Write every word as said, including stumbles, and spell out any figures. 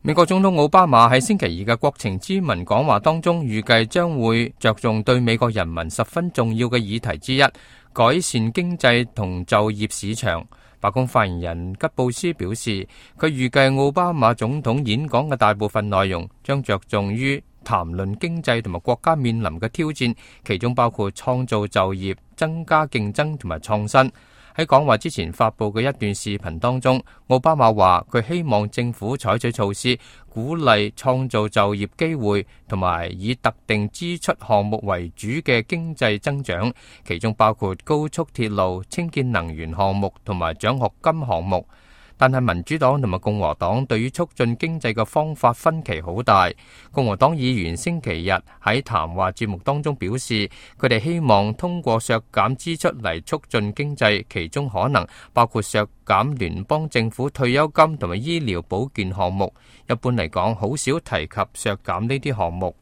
美國總統奧巴馬喺星期二嘅國情咨文講話當中，預計將會着重對美國人民十分重要嘅議題之一，改善經濟同就業市場。白宮發言人吉布斯表示，佢預計奧巴馬總統演講嘅大部分內容將着重於談論經濟同埋國家面臨嘅挑戰，其中包括創造就業、增加競爭同埋創新。喺講話之前發佈嘅一段視頻當中，奧巴馬話佢希望政府採取措施，鼓勵創造就業機會，同埋以特定支出項目為主嘅經濟增長，其中包括高速鐵路、清潔能源項目同埋獎學金項目。但係民主黨同埋共和黨對於促進經濟嘅方法分歧好大。共和黨議員星期日喺談話節目當中表示，佢哋希望通過削減支出嚟促進經濟，其中可能包括削減聯邦政府退休金同埋醫療保健項目。一般嚟講，好少提及削減呢啲項目。